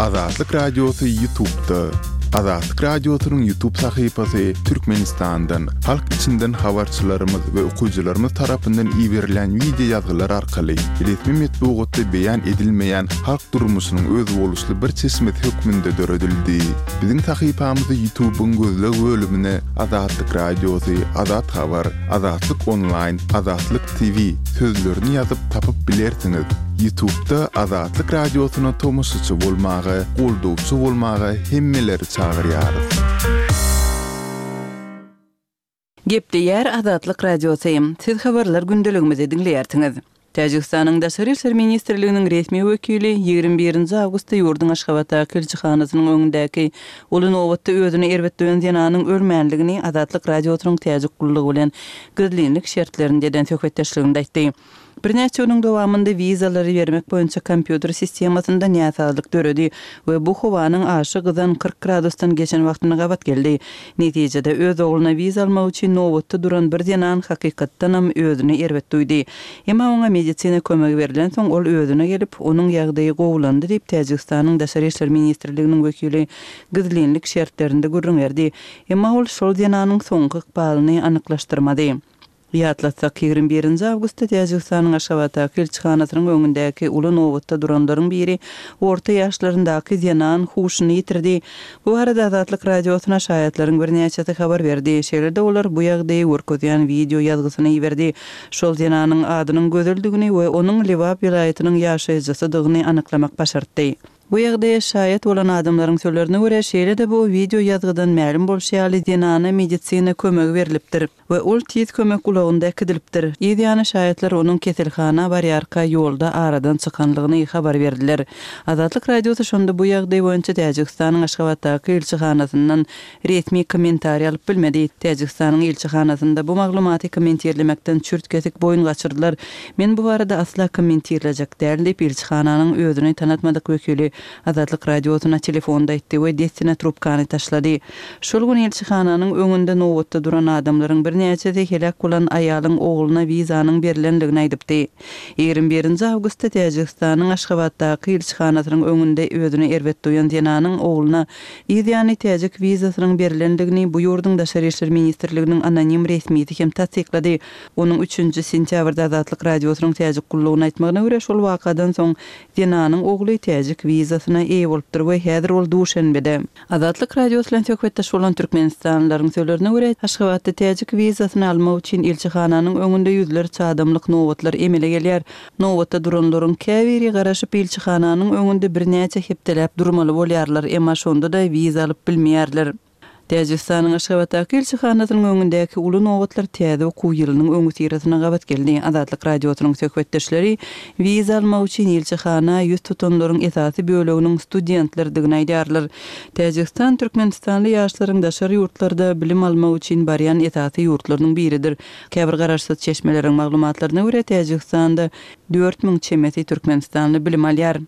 Azatlyk Radiosy Ýutubda. Azatlyk Radiosynyň Ýutub sahypasy Türkmenistandan, halk içinden habarçylarymyz we okyjylarymyz tarapyndan iberilen wideo ýazgylar arkaly resmi metbugatda beýan edilmeýän halk durmuşynyň özboluşly bir çeşmesi hökmünde döredildi. Biziň sahypamyzy Ýutubyň gözleg bölümine Azatlyk Radiosy, Azat Habar, Azatlyk Onlaýn, Azatlyk TV sözlerini ýazyp tapyp bilersiňiz. Ýutubda Azatlyk Radiosyna tomaşaçy bolmaga, goldawçy bolmaga hemmeleri çagyrýarys. Gepleýär Azatlyk Radiosy. Siz habarlar gündeligimizi diňleýärsiňiz. Täjigistanyň Daşary işler ministrliginiň resmi wekili 21 nji awgustda ýurduň Aşgabatdaky ilçihanasynyň öňündäki uly nobatda özüni erbet duýan zenanyň ölmänligini Azatlyk Radiosynyň Täjik gullugy bilen gizlinlik şertlerinde eden söhbetdeşliginde aýtdy. Birnäçe günüň dowamynda wizalary bermek boýunça kompýuter sistemasynda näsazlyk döredi we bu howanyň aşa gyzan 40 gradusdan geçen wagtyna gabat geldi. Netijede, öz ogluna wiza almak üçin nobatda duran bir zenan hakykatdanam özüni erbet duýdy. Emma oňa medisina kömegi berlensoň, ol özüne gelip, onuň ýagdaýy gowulandy diýip, Täjigistanyň Daşary işler ministrliginiň wekili gizlinlik şertlerinde gürrüň berdi. Emma ol şol zenanyň soňky ykbalyny anyklaşdyrmady. Ýatlatsak, 21 nji awgustda Täjigistanyň Aşgabatdaky ilçihanasynyň öňündäki uly nobatda duranlaryň biri orta ýaşlaryndaky zenan huşuny ýitirdi. Bu barada Azatlyk Radiosyna şaýatlaryň birnäçesi habar berdi. Şeýle-de olar bu ýagdaýy görkezýän wideo ýazgysyny iberdi. Şol zenanyň adynyň Gözeldigini we onuň Lebap welaýatynyň ýaşaýjysydygyny anyklamak başartdy. Bu ýagdaýa şaýat bolan adamlaryň sözlerine görä, şeýle-de bu wideo ýazgydan mälim bolşy ýaly, zenana medisina kömegi berlipdir we ol tiz kömek ulagynda äkidilipdir. Yz ýany şaýatlar onuň keselhana barýarka ýolda aradan çykanlygyny habar berdiler. Azatlyk Radiosy şonda bu ýagdaý boýunça Täjigistanyň Aşgabatdaky ilçihanasyndan resmi kommentariý alyp bilmedi. Täjigistanyň ilçihanasynda bu maglumaty kommentirlemekden çürt-kesik boýun gaçyrdylar. Men bu barada asla kommentirlejek däl diýip, ilçihananyň özüni tanatmadyk wekili Azatlyk Radiosyna telefonda aýtdy we dessine trubkany taşlady. Şol gün ilçihananyň öňünde nobatda duran adamlaryň birnäçesi heläk bolan aýalyň ogluna wizanyň berlendigini aýdypdy. 21 nji awgustda Täjigistanyň Aşgabatdaky ilçihanasynyň öňünde özüni erbet duýan zenanyň ogluna Yz ýany täjik wizasynyň berlendigini bu ýurduň Daşary işler ministrliginiň anonim resmisi hem tassyklady. Onuň üçünji sentýabrda Azatlyk Radiosynyň täjik gullugyna aýtmagyna görä, şol wakadan soň zenanyň ogly täjik wizasyna eýe bolupdyr we häzir ol Duşenbede. Azatlyk Radiosy bilen söhbetdeş bolan türkmenistanlylaryň sözlerine görä, Aşgabatda täjik wizasyny almak üçin ilçihananyň öňünde ýüzlerçe adamlyk nobatlar emele gelýär. Nobatda duranlaryň käbiri garaşyp ilçihananyň öňünde birnäçe hepdeläp durmaly bolýarlar, emma şonda-da wiza alyp bilmeýärler. Täjigistanyň Aşgabatdaky ilçihanasynyň öňündäki uly nobatlar täze okuw ýylynyň öňüsyrasyna gabat geldi. Azatlyk Radiosynyň söhbetdeşleri wiza almak üçin ilçihana ýüz tutanlaryň esasy böleginiň studentlerdigini aýdýarlar. Täjigistan türkmenistanly ýaşlaryň daşary ýurtlarda bilim almak üçin barýan esasy ýurtlarynyň biridir. Käbir garaşsyz çeşmeleriň maglumatlaryna görä, Täjigistanda 4000 çemesi türkmenistanly bilim alýar.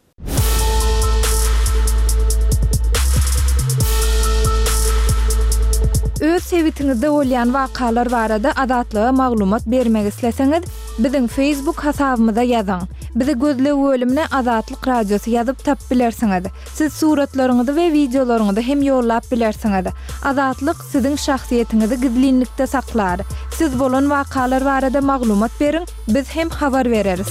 Öz sebitiňizde bolýan wakalar barada Azatlyga maglumat bermek isleseňiz, biziň Facebook hasabymyza ýazyň. Bizi gözleg bölümine Azatlyk Radiosy ýazyp tapyp bilersiňiz. Siz suratlaryňyzy we wideolaryňyzy hem ýollap bilersiňiz. Azatlyk siziň şahsyýetiňizi gizlinlikde saklar. Siz bolan wakalar barada maglumat beriň, biz hem habar bereris.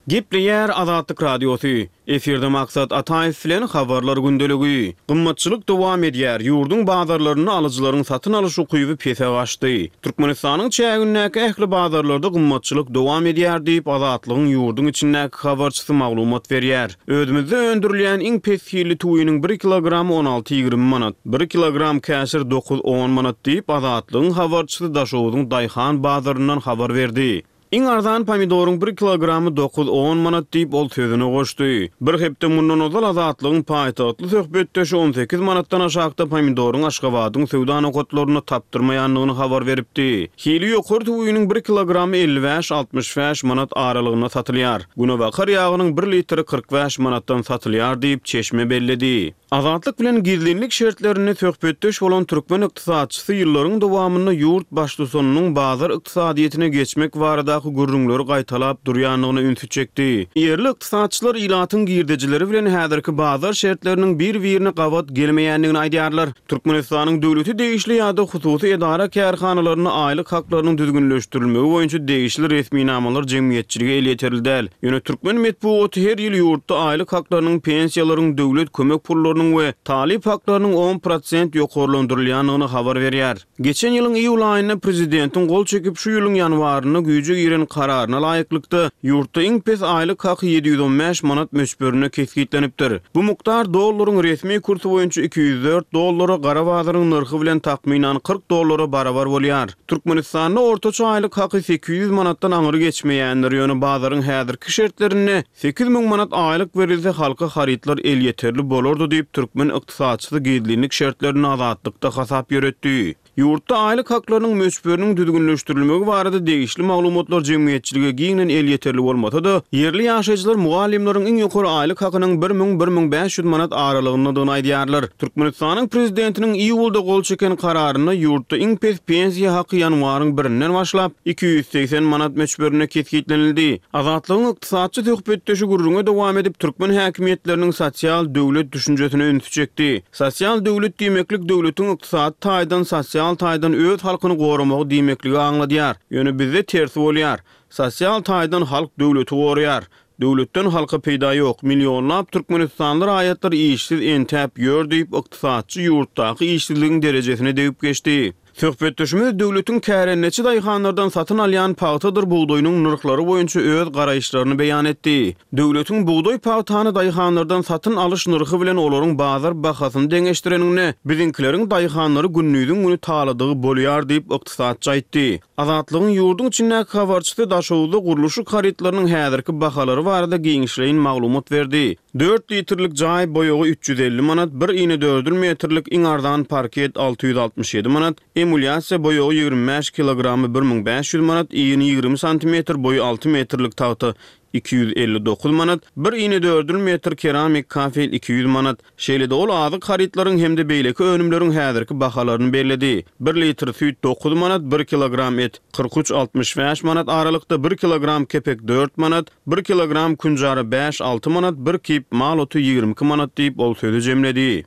Gepleýär Azatlyk Radiosy. Efirde Maksat Ataýew bilen Habarlar gündeligi. Gymmatçylyk dowam edýär, ýurduň bazarlarynda alyjylaryň satyn alyş ukyby pese gaçdy. Türkmenistanyň çägindäki ähli bazarlarda gymmatçylyk dowam edýär diýip, Azatlygyň ýurduň içindäki habarçysy maglumat berýär. Özümizde öndürilýän iň pes hilli tüwiniň bir kilogramy on alty-ýigrimi manat, bir kilogram käşir dokuz-on manat diýip, Azatlygyň habarçysy Daşogzuň daýhan bazaryndan habar berdi. Iň arzan pomidoryň bir kilogramy dokuz-on manat diýip, ol sözüne goşdy. Bir hepde mundan ozal Azatlygyň paýtagtly söhbetdeşi 18 manatdan aşakda pomidoryň Aşgabadyň söwda nokatlarynda tapdyrmaýandygyny habar beripdi. Hili ýokary tüwiniň bir kilogramy 55-65 manat aralygynda satylýar. Günebakar ýagynyň bir litri 45 manatdan satylýar diýip, çeşme belledi. Azatlyk bilen gizlinlik şertlerinde söhbetdeş bolan türkmen ykdysatçysy ýyllaryň dowamynda ýurt baştutanynyň bazar ykdysadyýetine geçmek baradaky. baradaky gürrüňleri gaýtalap durýandygyna ünsi çekdi. Ýerli ykdysatçylar ilatyň girdejileri bilen häzirki bazar şertleriniň bir-birine gabat gelmeýändigini aýdýarlar. Türkmenistanyň döwlete degişli ýa-da hususy edara-kärhanalarynda aýlyk haklarynyň düzgünleşdirilmegi boýunça degişli resminamalar jemgyýetçilige elýeterli däl. Ýöne türkmen metbugaty her ýyl ýurtda aýlyk haklarynyň, pensiýalaryň, döwlet kömek pullarynyň we talyp haklarynyň 10% ýokarlandyrylýandygyny habar berýär. Geçen ýylyň iýul aýynda prezidentiň gol çekip, şu ýylyň ýanwarynda güýje giren kararyna laýyklykda, ýurtda iň pes aýlyk haky 715 manat möçberinde kesgitlenipdir. Bu mukdar dollaryň resmi kursy boýunça 204 dollara, gara bazaryň nyrhy bilen takmynan 40 dollara barabar bolýar. Türkmenistanda ortaça aýlyk haky 800 manatdan aňry geçmeýändir, ýöne bazaryň häzirki şertlerinde 8000 manat aýlyk berilse halka harytlar elýeterli bolardy diýip, türkmen ykdysatçysy gizlinlik şertlerinde Azatlykda hasap ýöretdi. Ýurtda aýlyk haklarynyň möçberiniň düzgünleşdirilmegi barada degişli maglumatlar jemgyýetçilige giňden elýeterli bolmasa-da, ýerli ýaşaýjylar mugallymlaryň iň ýokary aýlyk hakynyň 1000, 1500 manat aralygyndadygyny aýdýarlar. Türkmenistanyň Prezidentiniň iýulda gol çeken kararynda ýurtda iň pes pensiýa haky ýanwaryň birinden başlap, 280 manat möçberinde kesgitlenildi. Azatlygyň ykdysatçy söhbetdeşi gürrüňe dowam edip, türkmen häkimiýetleriniň sosial döwlet düşünjesine ünsi çekdi. Sosial döwlet diýmeklik döwletiň ykdysady taýdan, sosial taýdan öz halkyny goramagy diýmekligi aňladýar. Ýöne bizde tersi bolýar. Sosial taýdan halk döwleti goraýar. Döwletden halka peýda ýok. Millionlap türkmenistanly raýatlar işsiz entäp ýör diýip, ykdysatçy ýurtdaky işsizligiň derejesine degip geçdi. Söhbetdeşimiz döwletiň kärendeçi daýhanlardan satyn alýan pagtadyr bugdaýynyň nyrhlary boýunça öz garaýyşlaryny beýan etdi. Döwletiň bugdaý-pagtany daýhanlardan satyn alyş nyrhy bilen olaryň bazar bahasyny deňeşdireniňde, biziňkileriň daýhanlary gündiziň güni taladygy bolýar diýip, ykdysatçy aýtdy. Azatlygyň ýurduň içindäki habarçysy Daşoguzda gurluşyk harytlarynyň häzirki bahalary barada giňişleýin maglumat berdi. Dört litrlik jaý boýagy 350 manat, bir inedördül metrlik iň arzan parket 667 manat, emulýasiýa boýagy 25 kilogramy 1500 manat, ini 20 santimetr, boýy 6 metrlik tagta 259 manat, bir inedördül metr keramik kafel 200 manat. Şeýle-de ol azyk harytlaryň hem-de beýleki önümleriň häzirki bahalaryny belledi. Bir litr süýt dokuz manat, bir kilogram et 43, 65 manat aralykda, bir kilogram kepek dört manat, bir kilogram künjara bäş, alty manat, bir kip mal oty 22 manat diýip, ol sözi jemledi.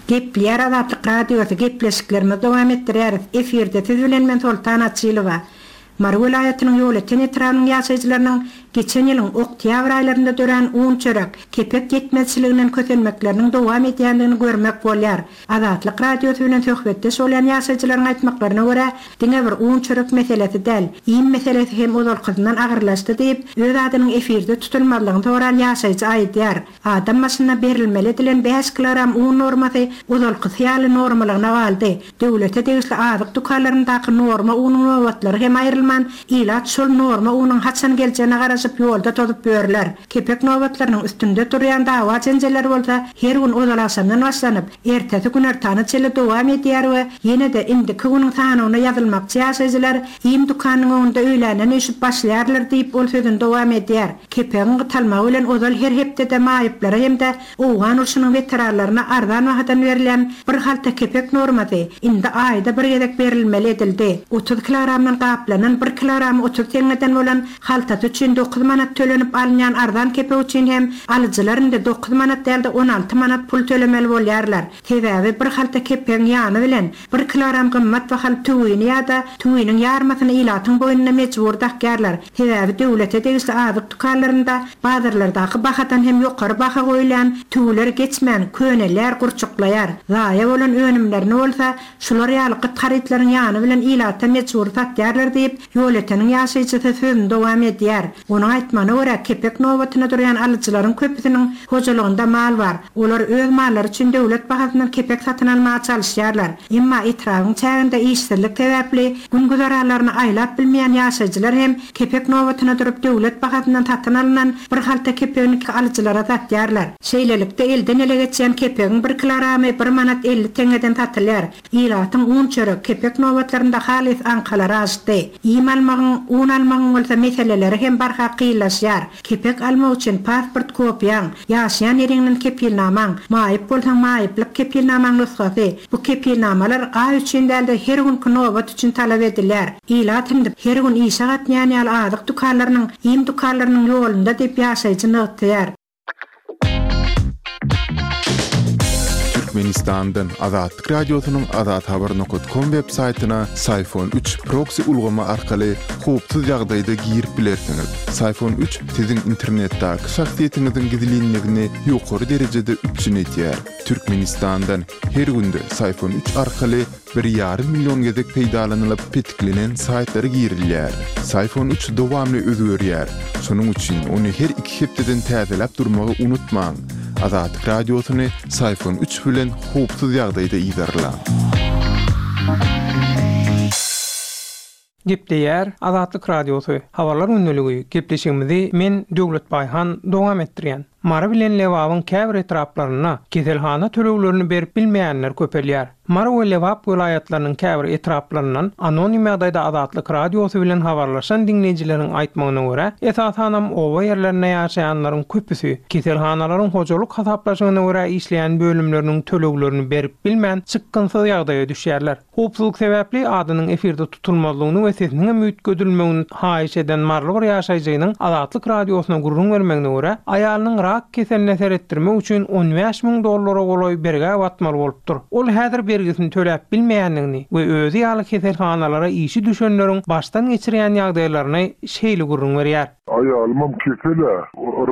Gepleýär Azatlyk Radiosy, gepleşiklerimizi dowam etdirýäris. Efirde siz bilen men Soltan Açylowa. Mary welaýatynyň Ýolöten etrabynyň ýaşaýjylarynyň geçen ýylyň oktýabr aýlarynda dörän un-çörek, kepek ýetmezçiliginden kösenmekleriniň dowam edýändigini görmek bolýar. Azatlyk Radiosy bilen söhbetdeş bolýan ýaşaýjylaryň aýtmaklaryna görä, diňe bir un-çörek meselesi däl, iým meselesi hem ozalkysyndan agyrlaşdy diýip, öz adynyň efirde tutulmazlygyny soran ýaşaýjy aýdýar. Adam başyna berilmeli edilen bäş kilogram un normasy ozalkysy ýaly normalygyna galdy. Döwlete degişli azyk dükanlaryndaky norma unuň nobatlary hem aýrylman, ilat şol norma unuň haçan geljegine garaşyp ýolda tozup ýörler. Kepek nobatlarynyň üstünde turýan dawa-jenjeller bolsa her gün ozalagşamdan başlanyp, ertesi günortana çenli dowam edýär we ýene-de indiki günüň sanawyna ýazylmakçy ýaşaýjylar iým dükanynyň öňünde öýländen üýşüp başlaýarlar diýip, ol sözüni dowam edýär. Kepegiň gytalmagy bilen ozal her hepdede maýyplara hem-de owgan urşunyň weteranlaryna arzan bahadan berilýän bir halta kepek normasy indi aýda bir gezek berilmeli edildi. 30 kilogramdan gaplanan bir kilogramy 30 teňňeden bolan haltasy üçin dokuz manat tölenip alynýan arzan kepek üçin hem alyjylar indi dokuz manat däl-de 16 manat pul tölemeli bolýarlar. Sebäbi bir halta kepegiň ýany bilen bir kilogram gymmat bahaly tüwini ýa-da tüwiniň ýarmasyny ilatyň boýnuna mejbury dakýarlar. Sebäbi döwlete degişli azyk dükanlarynda bazarlardaky bahadan hem ýokary baha goýulýan tüwüler geçmän, könelýär, gurçuklaýar. Zaýa bolan önümlerini bolsa şular ýaly gyt harytlaryň ýany bilen ilata mejbury satýarlar diýip, Ýolöteniň ýaşaýjysy sözüni dowam edýär. Onuň aýtmagyna görä, kepek nobatyna durýan alyjylaryň köpüsiniň hojalygynda mal bar. Olar öz mallary üçin döwlet bahasyndan kepek satyn almaga çalyşýarlar. Emma etrabyň çäginde işsizlik sebäpli gün-güzeranlaryny aýlap bilmeýän ýaşaýjylar hem kepek nobatyna durup döwlet bahasyndan satyn alnan bir halta kepegini alyjylara satýarlar. Şeýlelikde, elden-ele geçýän kepegiň bir kilogramy bir manat 50 teňňeden satylýar. Ilatyň un-çörek, kepek nobatlarynda halys aňkalary aşdy. Iým almagyň, un almagyň bolsa meseleleri hem barha. kynlaşýar. Kepek almak üçin pasport kopiýaň, ýaşaýan ýeriňden kepilnamaň, maýyp bolsaň maýyplyk kepilnamaň nusgasy, bu kepilnamalar aý üçin däl-de her günki nobat üçin talap edilýär. Ilat indi her gün işe gatnaýan ýaly azyk dükanlarynyň, iým dükanlarynyň ýolunda diýip ýaşaýjy nygtaýar. Türkmenistandan Azatlyk Radiosynyň Azathabar nokat kom web saýtyna Syfon üç proksi ulgamy arkaly howpsuz ýagdaýda girip bilersiňiz. Syfon üç siziň internetdäki şahsyýetiňiziň gizlinligini ýokary derejede üpjün edýär. Türkmenistandan her günde Syfon üç arkaly bir ýarym million gezek peýdalanylyp petiklenen saýtlara girilýär. Syfon üç dowamly özgerýär. Şonuň üçin ony her iki hepdeden täzeläp durmagy unutmaň. Azatlyk Radiosyny Syfon üç bilen howpsuz ýagdaýda yzarlaň. Gepleýär Azatlyk Radiosy, Habarlar gündeligi gepleşigimizi men Döwlet Baýhan dowam etdirýän. Mary bilen Lebabyň käbir etraplarynda keselhana töleglerini berip bilmeýänler köpelýär. Mary we Lebap welaýatlarynyň käbir etraplaryndan anonim ýagdaýda Azatlyk Radiosy bilen habarlaşan diňleýjileriň aýtmagyna görä, esasanam oba ýerlerinde ýaşaýanlaryň köpüsi keselhanalaryň hojalyk hasaplaşygyna görä işleýän bölümleriniň töleglerini berip bilmän çykgynsyz ýagdaýa düşýärler. Howpsuzlyk sebäpli adynyň efirde tutulmazlygyny we sesiniňem üýtgedilmegini haýyş eden maryly bir ýaşaýjynyň Azatlyk Radiosyna gürrüň bermegine görä, aýalynyň rak keseline seretdirmek üçin 15 müň dollara golaý bergä batmaly bolupdyr. Ol häzir bergisini töläp bilmeýändigini we özi ýaly keselhanalara işi düşenleriň başdan geçirýän ýagdaýlaryny şeýle gürrüň berýär. Aýalymam kesel-ä.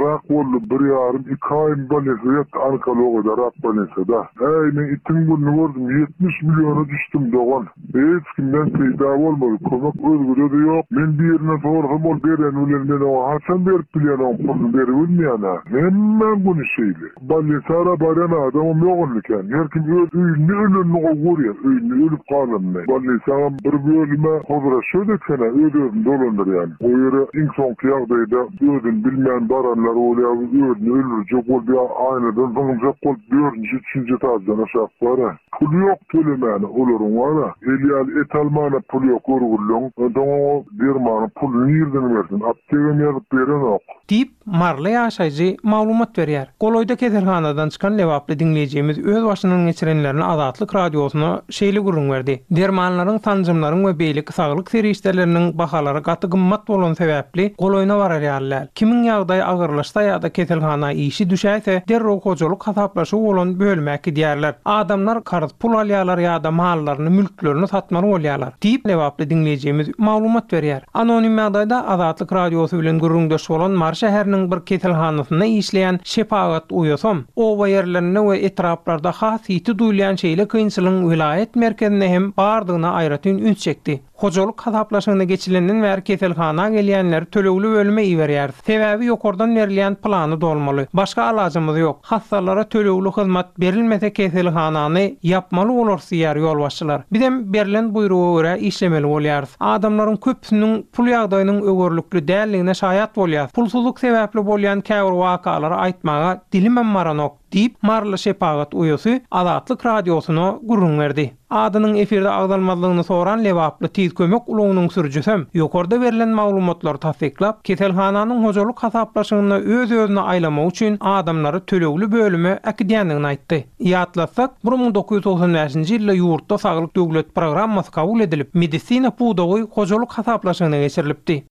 Rak boldy, bir ýarym, iki aýym bolnisada ýatdy, onkologiýada, rak bolnisada. Äý, men itiň gününi gördüm, 70 milliona düşdüm, dogan. Hiç kimden peýda bolmady, kömek özgede-de ýok. Men birinden sorasam, ol bereni bilen men oňa haçan berip bilýän oň puluny beribilmeýän-ä. Hemmäň güni şeýle. Bolnisara barýan adamam ýok indi kän. Her kim öz öýünde ölenini gowy görýär, öýünde ölüp galanyny. Bolnisaňam bir bölümi hozraşýod eken-ä, öz-özüni dolandyrýan. O ýere iň soňky ýagdaýda özüni bilmän baranlar bolýar, özüni öldürjek bolup ýa aýnadan zyňyljak bolup dördünji, üçünji etaždan aşak bar-a. Puly ýok tölemäne olaryň bar-a. El ýaly et almana puly ýok görgüliň. Onsoň oňa dermanyň puluny nirden bersin? Aptegam ýazyp berenok. Diýip, maryly ýaşaýjy maglumat berýär. Golaýda keselhanadan çykan lebaply diňleýjimiz öz başyndan geçirenlerini Azatlyk Radiosyna şeýle gürrüň berdi, Dermanlaryň, sanjymlaryň we beýleki saglyk serişdeleriniň bahalary gaty gymmat bolany sebäpli, golaýyna barar ýaly däl. Kimiň ýagdaýy agyrlaşsa ýa-da keselhana işi düşäýse, derrew hojalyk hasaplaşygy bolan bölüme äkidýärler. Adamlar karz pul alýarlar ýa-da mallaryny, mülklerini satmaly bolýarlar. Diýip, lebaply diňleýjimiz maglumat berýär. Anonim ýagdaýda Azatlyk Radiosy bilen gürrüňdeş bolan Mary şäheriniň bir keselhanasynda işleýän şepagat uýasam, oba ýerlerinde we etraplarda has ýiti duýulýan şeýle kynçylygyň welaýat merkezinde hem bardygyna aýratyn üns çekdi. Hojalyk hasaplaşygyna geçilenden bäri keselhana gelýänleri tölegli bölüme iberýäris. Sebäbi ýokardan berilýän plany dolmaly. Başga alajymyz ýok. Hassalara tölegli hyzmat berilmese keselhanany ýapmaly bolarys diýýär ýolbaşçylar. Bizem berlen buýruga görä işlemeli bolýarys. Adamlaryň köpüsiniň pul ýagdaýynyň öwerlikli däldigine şaýat bolýas. Pulsuzlyk sebäpli bolýan käbir wakalary aýtmaga dilimem baranok, diýip, maryly şepagat uýasy Azatlyk Radiosyna gürrüň berdi. Adynyň efirde agzalmazlygyny soran lebaply Tiz kömek ulagynyň sürüjisem ýokarda berlen maglumatlary tassyklap, keselhananyň hojalyk hasaplaşygynda öz-özüni aýlamak üçin adamlary tölegli bölüme äkidýändigini aýtdy. Ýatlatsak, 1995-nji ýylda ýurtda Saglyk döwlet programmasy kabul edilip, medisina pudagy hojalyk hasaplaşygyna geçirilipdi.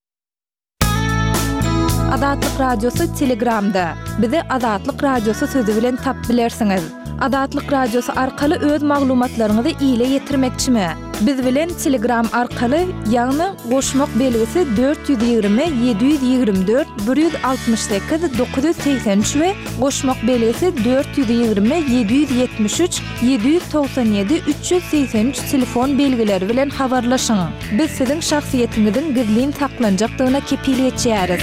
Azatlyk Radiosy Telegramda. Bizi Azatlyk Radiosy sözi bilen tap bilersiňiz. Azatlyk Radiosy arkaly öz maglumatlaryňyzy ile ýetirmekçimi? Biz bilen Telegram arkaly, ýagny goşmak belgisi 420 724 168 983 we goşmak belgisi 420 773 797 383 telefon belgileri bilen habarlaşyň. Biz siziň şahsyýetiňiziň gizlin saklanjakdygyna kepil geçýäris.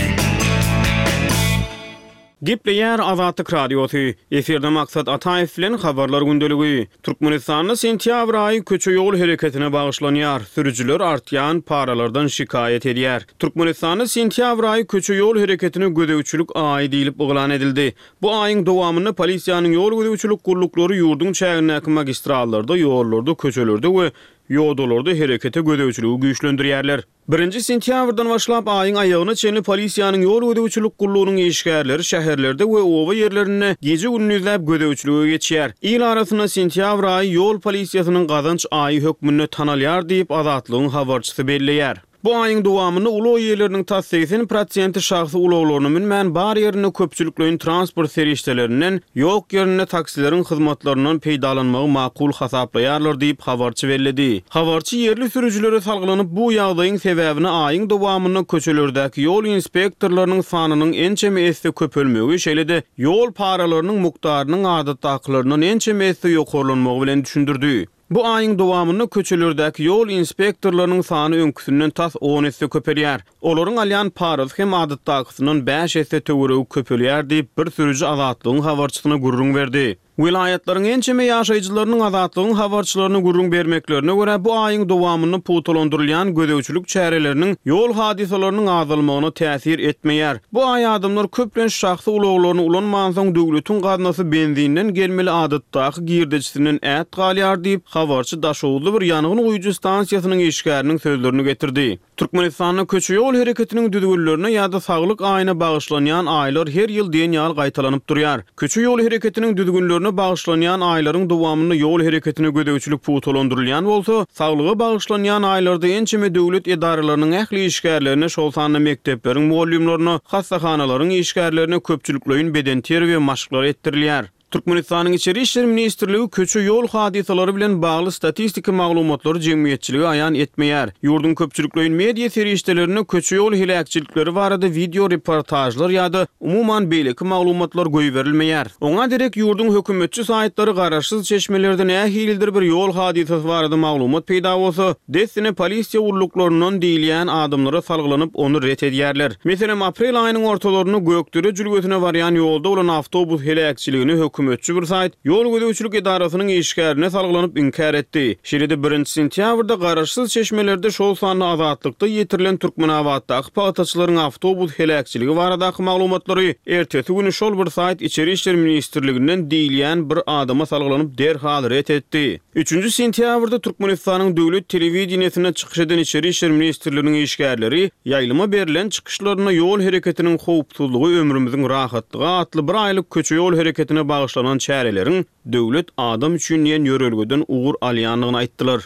Gepleýär Azatlyk Radiosy, Efirde Maksat Ataýew bilen Habarlar gündeligi. Türkmenistanda sentýabr aýy köçe-ýol hereketine bagyşlanýar, sürüjiler artýan paralardan şikaýat edýär. Türkmenistanda sentýabr aýy köçe-ýol hereketine gözegçilik aýy diýlip yglan edildi. Bu aýyň dowamynda polisiýanyň ýol gözegçilik gulluklary ýurduň çägindäki magistrallarda, ýollarda, köçelerde we. Ýodalarda herekete gözegçiligi güýçlendirýärler. Birinji sentýabrdan başlap aýyň aýagyna çenli polisiýanyň ýol gözegçilik gullugynyň işgärleri şäherlerde we oba ýerlerinde gije-gündizläp gözegçilige geçýär. Il arasynda sentýabr aýy ýol polisiýasynyň gazanç aýy hökmünde tanalýar diýip, Azatlygyň habarçysy belleýär. Bu aýyň dowamynda ulag eýeleriniň tas 80 prosenti şahsy ulaglaryna münmän, bar ýerinde köpçülikleýin transport serişdelerinden, ýok ýerinde taksileriň hyzmatlaryndan peýdalanmagy makul hasaplaýarlar diýip, habarçy belledi. Habarçy ýerli sürüjilere salgylanyp, bu ýagdaýyň sebäbini aýyň dowamynda köçelerdäki ýol inspektorlarynyň sanynyň ençeme esse köpelmegi, şeýle-de ýol paralarynyň mukdarynyň adatdakylaryndan ençeme esse ýokarlanmagy bilen düşündirdi. Bu aýyň dowamynda köçelerdäki ýol inspektorlarynyň sany öňküsinden tas on esse köpelýär. Olaryň alýan parasy hem adatdakysyndan bäş esse töweregi köpelýär diýip, bir sürüji Azatlygyň habarçysyna gürrüň berdi. Welaýatlaryň ençeme ýaşaýjylarynyň Azatlygyň habarçylaryna gürrüň bermeklerine görä, bu aýyň dowamynda pugtalandyrylýan gözegçilik çäreleriniň ýol hadysalarynyň azalmagyna täsir etmeýär. Bu aý adamlar köplenç şahsy ulaglaryny ulanmansoň, döwletiň gaznasy benzinden gelmeli adatdaky girdejisinden ät galýar diýip, habarçy daşoguzly bir ýangyn guýujy stansiýasynyň işgäriniň sözlerini getirdi. Türkmenistanda köçe-ýol hereketiniň düzgünlerine ýa-da saglyk aýyna bagyşlanýan aýlar her ýyl diýen ýaly gaýtalanyp durýar. Köçe-ýol hereketiniň düzgünlerine bagyşlanýan aýlaryň dowamynda ýol hereketine gözegçilik pugtalandyrylýan bolsa, saglyga bagyşlanýan aýlarda ençeme döwlet edaralarynyň ähli işgärlerine, şol sanda mekdepleriň mugallymlaryna, hassahanalaryň işgärlerine köpçülikleýin bedenterbiýe maşklary etdirilýär. Türkmenistanyň Içeri işler ministrligi köçe-ýol hadysalary bilen bagly statistiki maglumatlary jemgyýetçilige aýan etmeýär. Ýurduň köpçülikleýin media serişdelerinde köçe-ýol heläkçilikleri barada wideo reportažlar ýa-da umuman beýleki maglumatlar goýberilmeýär. Oňa derek ýurduň hökümetçi saýtlary garaşsyz çeşmelerde nähilidir bir ýol hadysasy barada maglumat peýda bolsa, dessine polisiýa gulluklaryndan diýilýän adamlara salgylanyp ony ret edýärler. Meselem, aprel aýynyň ortalarynda Gökdere jülgesine barýan ýolda bolan awtobus heläkçiligini hökümetçi bir saýt ýol gözegçilik edarasynyň işgärine salgylanyp inkär etdi. Şeýle-de birinji sentýabrda garaşsyz çeşmelerde şol sanda Azatlykda ýetirilen Türkmenabatdaky pagtaçylaryň awtobus heläkçiligi baradaky maglumatlary ertesi güni şol bir saýt Içeri işler ministrliginden diýilýän bir adama salgylanyp derhal ret etdi. Üçünji sentýabrda Türkmenistanyň döwlet telewideniýesinde çykyş eden Içeri işler ministrliginiň işgärleri ýaýlyma berlen çykyşlarynda Ýol hereketiniň howpsuzlygy ömrümiziň rahatlygy atly bir aýlyk köçe-ýol hereketine bagyşlanan çäreleriň Döwlet adam üçin diýen ýörelgeden ugur alýandygyny aýtdylar.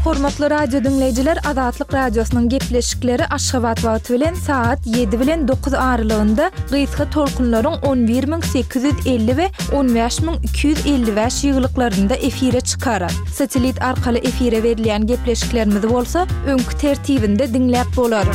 Hormatly radio diňleýjiler Azatlyk Radiosynyň gepleşikleri Aşgabat wagty bilen sagat 7 bilen 9 aralygynda gysga tolkunlaryň 11850 we 15255 ýygylyklarynda efire çykar. Satelit arkaly efire berilýän gepleşiklerimizi bolsa öňki tertibinde diňläp bolar.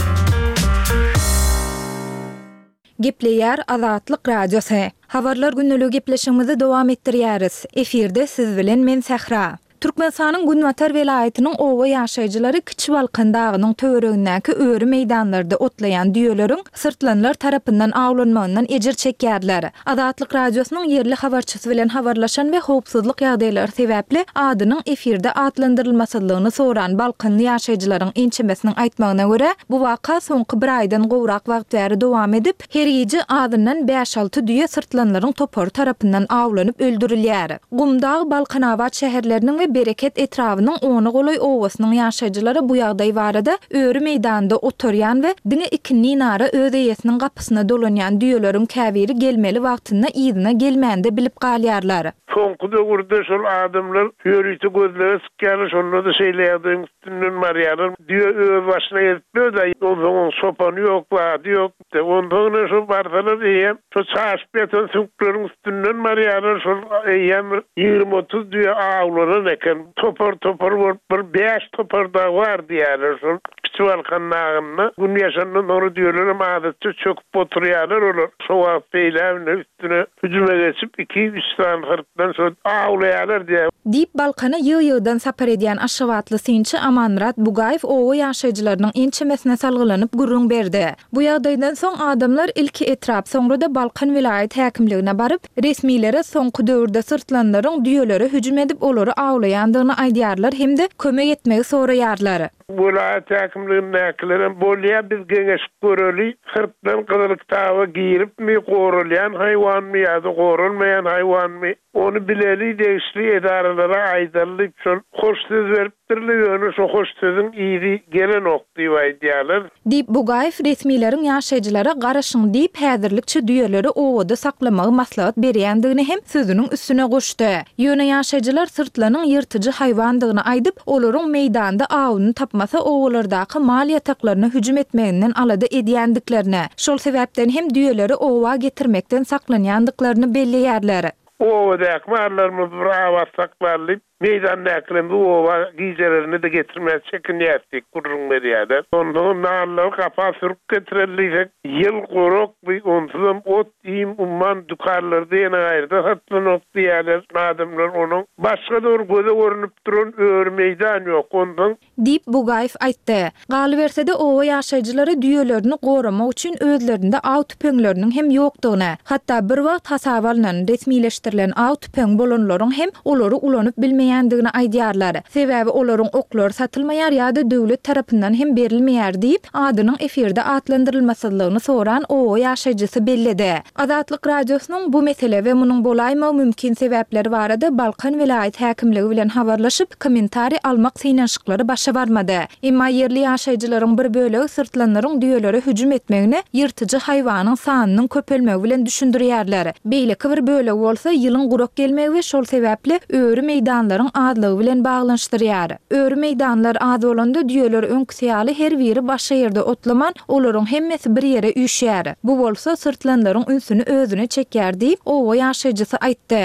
Gepleýär Azatlyk Radiosy. Habarlar gündeligi gepleşigimizi dowam etdirýäris. Efirde siz bilen men Sähra. Türkmenistanyň günbatar welaýatynyň oba ýaşaýjylary Kiçi Balkan dagynyň töweregindäki öri meýdanlarda otlaýan düýeleriň syrtlanlar tarapyndan awlanmagyndan ejir çekýärler. Azatlyk Radiosynyň ýerli habarçysy bilen habarlaşan we howpsuzlyk ýagdaýlary sebäpli adynyň efirde atlandyrylmasyzlygyny soran balkanly ýaşaýjylaryň ençemesiniň aýtmagyna görä, bu waka soňky bir aýdan gowrak wagt bäri dowam edip, her gije azyndan bäş-alty düýe syrtlanlaryň topary tarapyndan awlanyp öldürilýär. Gumdag, Balkanabat şäherleriniň we Bereket etrabynyň ona golaý obasynyň ýaşaýjylary bu ýagdaý barada öri meýdanda otarýan we diňe ikindinara öz eýesiniň gapysyna dolanýan düýeleriň käbiri gelmeli wagtynda yzyna gelmände bilip galýarlar. Soňky döwürde şol adamlar ýörite gözlege çykýarlar, şonda-da şeýle ýagdaýyň üstünden barýarlar. Düýe öz başyna gezip ýör-dä, onsoň oň çopany ýok, zady ýok. Onsoň ine şo barsalar eýýäm şo çaşyp ýatan süňkleriň üstünden barýarlar, şol eýýäm bir 20-30 düýe awlanan eken. Topar-topar bolup bir bäş topar dagy bar diýýärler şol Kiçi Balkan dagynda. Gün ýaşandan soňra düýelerem adatça çöküp oturýarlar olar. Şo wagt beýläbine üstüne hüjüme geçip iki-üç sany syrtdan şo awlaýarlar diýýär. Diýip, Balkana ýygy-ýygydan sapar edýän aşgabatly synçy Amanmyrat Bugaýew oba ýaşaýjylarynyň ençemesine salgylanyp gürrüň berdi. Bu ýagdaýdan soň adamlar ilki etrap, soňra-da Balkan welaýat häkimligine baryp, resmilere soňky döwürde syrtlanlaryň düýelere hüjüm edip olary awlaýandygyny aýdýarlar hem-de kömek etmegi soraýarlar. Welaýat häkimligindäkilerem bolýa biz geňeşip göreli, syrtlan gyzyl kitaba giripmi, goralýan haýwanmy ýa-da goralmaýan haýwanmy, ony bileli, degişli edaralara aýdaly diýip şol hoş söz beripdirler, ýöne şo hoş sözüň yzy gelenok diýip aýdýarlar. Diýip, Bugaýew resmileriň ýaşaýjylara garaşyň diýip, häzirlikçe düýeleri obada saklamagy maslahat berýändigini hem sözüniň üstüne goşdy. Ýöne ýaşaýjylar syrtlanyň ýyrtyjy haýwandygyny aýdyp, olaryň meýdanda awuny tapmasa obalardaky mal ýataklaryna hüjüm etmeginden alada edýändiklerini, şol sebäpden hem düýeleri oba getirmekden saklanýandyklaryny belleýärler. Obadaky mallarymyzy bir abat saklaly diýip, Meýdandäkilerimizi oba gijelerine-de getirmäge çekinýäris diýip gürrüň berýärler. Onsoňam nallary gapa sürüp getireli diýsek, ýyl gurak bi, onsuzam ot-iým umman dükanlarda ýene gaýryda satylanok diýýärler adamlar. Onuň başga-da bir göze görnüp duran öri meýdan ýok. Onsoň Diýip, Bugaýew aýtdy. Galyberse-de, oba ýaşaýjylary düýelerini goramak üçin özlerinde aw tüpeňleriniň hem ýokdugyny, hatda bir wagt hasaba alnan, resmileşdirilen aw tüpeňi bolanlaryň hem olary ulanyp bilmeýändigini aýdýarlar. Sebäbi olaryň oklary satylmaýar ýa-da döwlet tarapyndan hem berilmeýär diýip, adynyň efirde atlandyrylmasyzlygyny soran oba ýaşaýjysy belledi. Azatlyk Radiosynyň bu mesele we munuň bolaýmagy mümkin sebäpleri barada Balkan welaýat häkimligi bilen habarlaşyp, kommentariý almak synanyşyklary başa barmady. Emma ýerli ýaşaýjylaryň bir bölegi syrtlanlaryň düýelere hüjüm etmegini ýyrtyjy haýwanyň sanynyň köpelmegi bilen düşündirýärler. Beýleki bir bölegi bolsa ýylyň gurak gelmegi we şol sebäpli öri meýdanlaryň azlygy bilen baglanyşdyrýar. Öri meýdanlar az bolanda düýeler öňküsi ýaly her biri başga ýerde otlaman, Olaryň hemmesi bir ýere üýşýär. Bu bolsa syrtlanlaryň ünsüni özüne çekýär diýip, oba ýaşaýjysy aýtdy.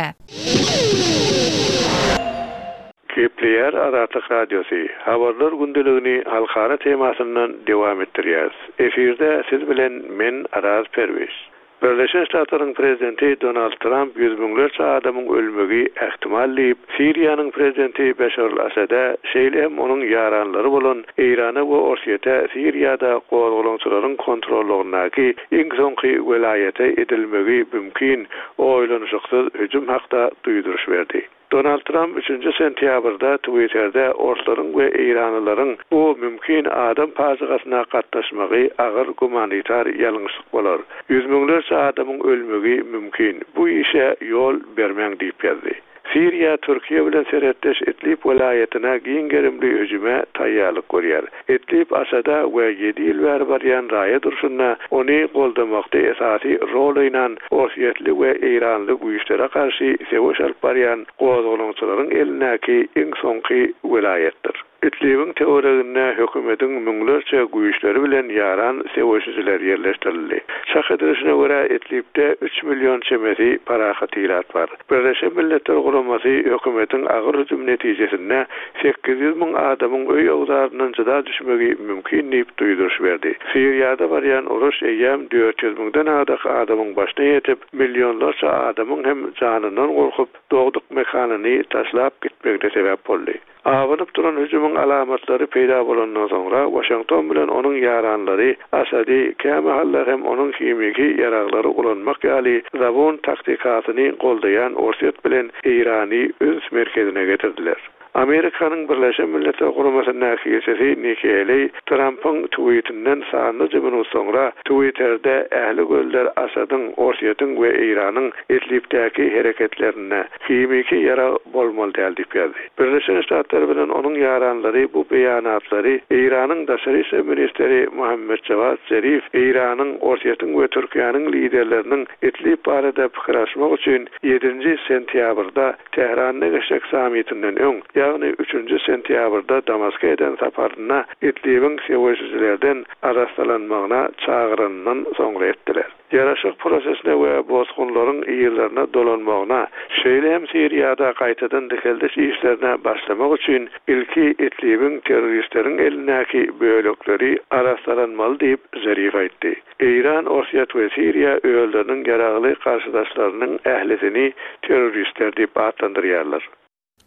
Gepleýär Azatlyk Radiosy, Habarlar gündeligini halkara temasyndan dowam etdirýäris. Efirde siz bilen men Araz Perwiz. Birleşen Ştatlaryň prezidenti Donald Tramp ýüz müňlerçe adamyň ölmegi ähtimal diýip, Siriýanyň prezidenti Beşar al-Asada, şeýle hem onuň ýaranlary bolan Eýrana we Orsýete Siriýada gozgalaňçylaryň kontrollygyndaky iň soňky welaýata edilmegi mümkin oýlanyşyksyz hüjüm hakda duýduryş berdi. Donald Tramp üçünji sentýabrda Twitterde orslaryň we eýranlylaryň bu mümkin adam pajygasyna gatnaşmagy agyr gumanitar ýalňyşlyk bolar. Ýüz müňlerçe adamyň ölmegi mümkin. Bu işe ýol bermäň diýip ýazdy. Siriýa Türkiýe bilen serhetdeş Idlib welaýatyna giň gerimli hüjüme taýýarlyk görýär. Idlib Asada we ýedi ýyl bäri barýan raýat urşunda ony goldamakda esasy rol oýnan orsýetli we eýranly güýçlere garşy söweş alyp barýan gozgalaňçylaryň elindäki iň soňky welaýatdyr. Idlibiň töwereginde hökümetiň müňlerçe güýçleri bilen ýaran söweşijiler ýerleşdirildi. Çak edilişine görä, Idlibde üç million çemesi parahat ilat bar. Birleşen Milletler Guramasy hökümetiň agyr hüjümi netijesinde 800 müň adamyň öý-öwzaryndan jyda düşmegi mümkin diýip duýduryş berdi. Siriýada barýan uruş eýýäm 400 müňden agdak adamyň başyna ýetip, millionlarça adamyň hem janyndan gorkup, dogduk mekanyny taşlap gitmegine sebäp boldy. Abanyp duran hüjümiň alamatlary peýda bolandan soňra, Waşington bilen onuň ýaranlary Asady, kämahallar hem onuň himiki ýaraglary ulanmak ýaly zabun taktikasyny goldaýan Orsýet bilen Eýrany üns merkezine getirdiler. Amerikanyň Birleşen Milletler Guramasyndaky ilçisi Nikki Heýleý Trampyň twitinden sanlyja minut soňra Twitterde ähli gözler Asadyň, Orsýetiň we Eýranyň Idlibdäki hereketlerinde himiki ýarag bolmaly däl diýip ýazdy. Birleşen Ştatlar bilen onuň ýaranlary bu beýanatlary Eýranyň daşary işler ministri Mohammed Jawad Zerif Eýranyň, Orsýetiň we Türkiýäniň liderleriniň Idlib barada pikir alyşmak üçin ýedinji sentýabrda Tähranda geçjek sammitinden öň, ýagny üçünji sentýabrda Damaska eden saparynda Idlibiň söweşijilerden arassalanmagyna çagyranyndan soňra etdiler. Ýaraşyk prosesine we bosgunlaryň yzlaryna dolanmagyna, şeýle hem Siriýada gaýtadan dikeldiş işlerine başlamak üçin ilki Idlibiň terroristleriň elindäki bölekleri arassalanmaly diýip, Zerif aýtdy. Eýran, Orsýet we Siriýa özleriniň ýaragly garşydaşlarynyň ählisini terroristler diýip atlandyrýarlar.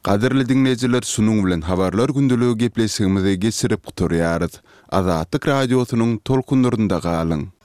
Gadyrly diňleýjiler şunuň bilen habarlar gündeligi gepleşigimizi geçirip gutarýarys. Azatlyk Radiosynyň tolkunlarynda galyň!